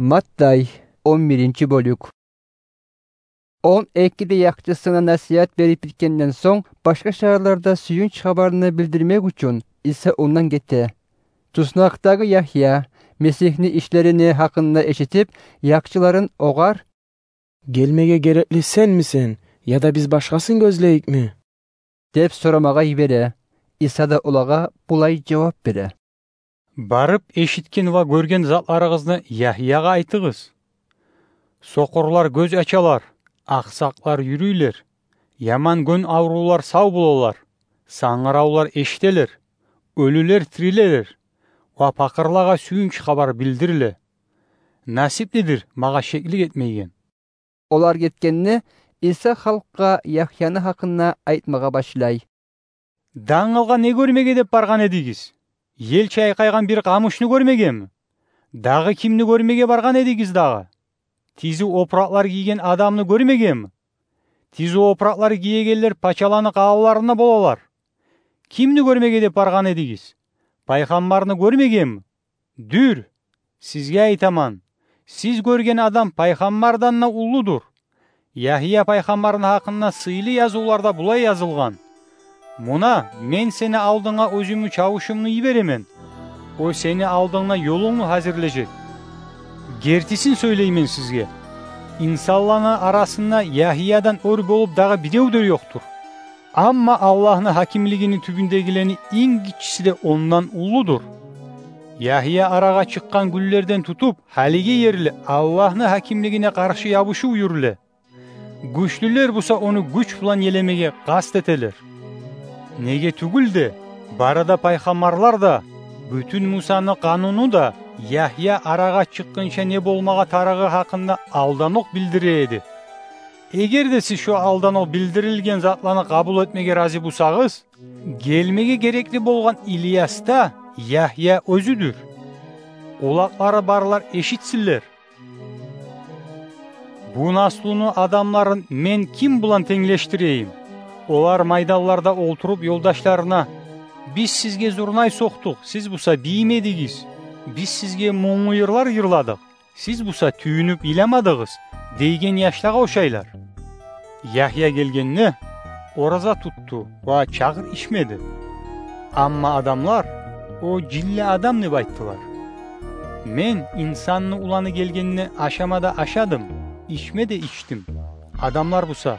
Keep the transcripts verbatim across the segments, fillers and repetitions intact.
Маттай, он биринчи бёлюк. Он эки де якъчысына насигьат берип битгенден сонг, башгъа шагьарларда сююнч хабарны билдирмек учун, Иса ондан гете. Туснакъдагъы Ягья, Месигьни ишлерини гьакъында эшитип, якъчыларын огъар: «Гелмеге герекли сенмисен, яда биз башгъасын гёзлейикми?» — деп сорамагъа йибере. Иса да олагъа булай жавап бере: «Барып, эшитген ва гёрген затларыгъызны Ягьягъа айтыгъыз. Сокъурлар гёз ачалар, акъсакълар юрюйлер, яман гён аврувлар сав болалар, сангыравлар эшителер, оьлюлер тирилелер ва пакъырлагъа сююнч хабар билдириле. Насиплидир магъа шеклик этмейген». Олар гетгенде, Иса халкъгъа Ягьяны гьакъында айтмагъа башлай: «Дангылгъа не гёрмеге деп баргъан эдигиз? Ел чайкъайгъан бир къамушну гёрмегеми? Дагъы кимни гёрмеге баргъан эдигиз дагъы? Тизи опуракълар гийген адамны гёрмегеми? Тизи опуракълар гиегенлер пачаланы къаланларында болалар. Кимни гёрмеге деп баргъан эдигиз? Пайхаммарны гёрмегеми? Дюр, сизге айтаман, сиз гёрген адам пайхаммардан да уллудур. Ягья пайхаммарны гьакъында сыйлы язывларда булай язылгъан: „Муна, мен сени алдынга оьзюмню чавушумну йиберемен. О сени алдынгда ёлунгну гьазирлежек“. Гертисин сёйлеймен сизге: инсанланы арасында Ягьядан оьр болуп дагъы бирев де ёкъдур. Амма Аллагьны гьакимлигини тюбюндегилени инг гиччиси де ондан уллудур. Ягья арагъа чыкъгъан гюнлерден тутуп, гьалиге ерли Аллагьны гьакимлигине къаршы ябушув юрюле. Гючлюлер буса ону гюч булан елемеге къаст этелер. Неге тюгюл де, бары да пайхаммарлар да, бютюн Мусаны къануну да Ягья арагъа чыкъгъынча не болмагъа тарыгъы гьакъында алданокъ билдире эди. Эгер де сиз шо алданокъ билдирилген затланы къабул этмеге рази бусагъыз, гелмеге герекли болгъан Ильяс да Ягья оьзюдюр. Къулакълары барлар эшитсинлер. Бу наслуну адамларын мен ким булан тенглешдирейим? Олар майданларда олтуруп ёлдашларына: „Биз сизге зурнай сокъдукъ, сиз буса бийимедигиз. Биз сизге мунглу йырлар йырладыкъ, сиз буса тююнюп йыламадыгъыз“, – дейген яшлагъа ошайлар. Ягья гелгенде, ораза тутду ва чагъыр ичмеди. Амма адамлар: „О жинли адам“, – деп айттылар. Мен, Инсанны Уланы гелгенде, ашама да ашадым, ичме де ичдим. Адамлар буса: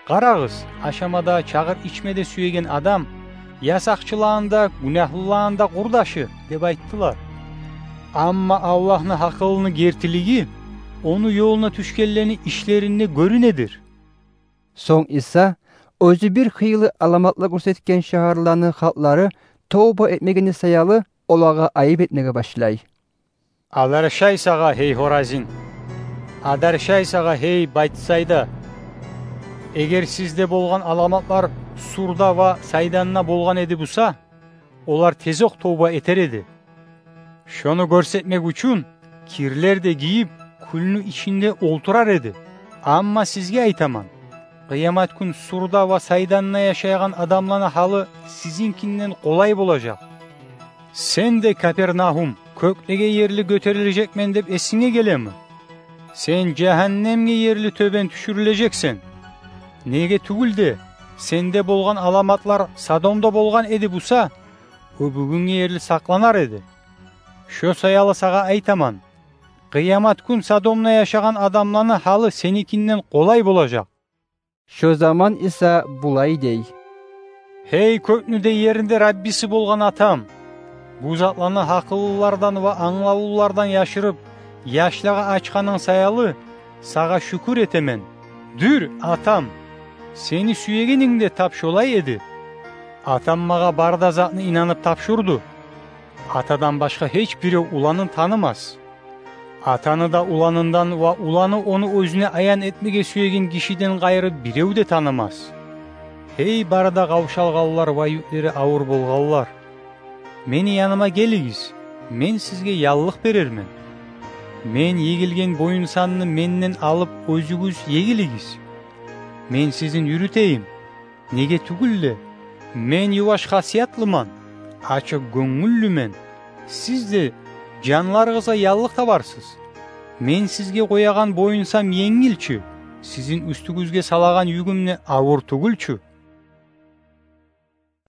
„Къарагъыз, ашама да, чагъыр ичме де сюеген адам, ясакъчыланы да, гюнагьлыланы да къурдашы“, – деп айттылар. Амма Аллагьны гьакъылыны гертилиги ону ёлуна тюшгенлени ишлеринде гёрюнедир. Сонг Иса оьзю бир хыйлы аламатлар гёрсетген шагьарланы халкълары товба этмегени саялы олагъа айып этмеге башлай. Адаршай сагъа, гьей Хоразин! Адаршай сагъа, гьей Байтсайда! Эгер сизде болгъан аламатлар Сурда ва Сайданда болгъан эди буса, олар тезокъ товба этер эди. Шону гёрсетмек учун кирлер де гийип, кюлню ичинде олтурар эди. Амма сизге айтаман, къыямат гюн Сурда ва Сайданда яшайгъан адамланы гьалы сизинкинден къолай болажакъ. Сен де, Капернагьум, кёклеге ерли гётерилежекмен деп эсинге гелеми? Сен жагьаннемге ерли тёбен тюшюрюлежексен. Неге тюгюл де, сенде болгъан аламатлар Содомда болгъан эди буса, о бугюнге ерли сакъланар эди. Шо саялы сагъа айтаман, къыямат гюн Содомда яшагъан адамланы гьалы сеникинден къолай болажакъ. Шо заман Иса булай дей: «Гьей, кёкню де, ерни де Раббиси болгъан Атам! Бу затланы гьакъыллылардан ва англавлулардан яшырып, яшлагъа ачгъанынг саялы, сагъа шюкюр этемен. Дюр, Атам, сени сюегенинг де тап шолай эди. Атам магъа бары да затны инанып тапшурду. Атадан башгъа гьеч бирев Уланны танымас. Атаны да Уланындан ва Уланны ону оьзюне аян этмеге сюеген гишиден къайры бирев де танымас. Гьей, бары да къавшалгъанлар ва юклери авур болгъанлар! Мени яныма гелигиз, мен сизге яллыкъ берермен. Мен егилген боюнсанны менден алып, оьзюгюз егилигиз. Мен сизин юрютейим. Неге тюгюл де, мен юваш хасиятлыман, ачыкъ гёнгюллюмен. Сиз де жанларыгъызгъа яллыкъ табарсыз. Мен сизге къоягъан буйнусам енгил чю, сизин уьстюгюзге салагъан югюм де авур тюгюл чю.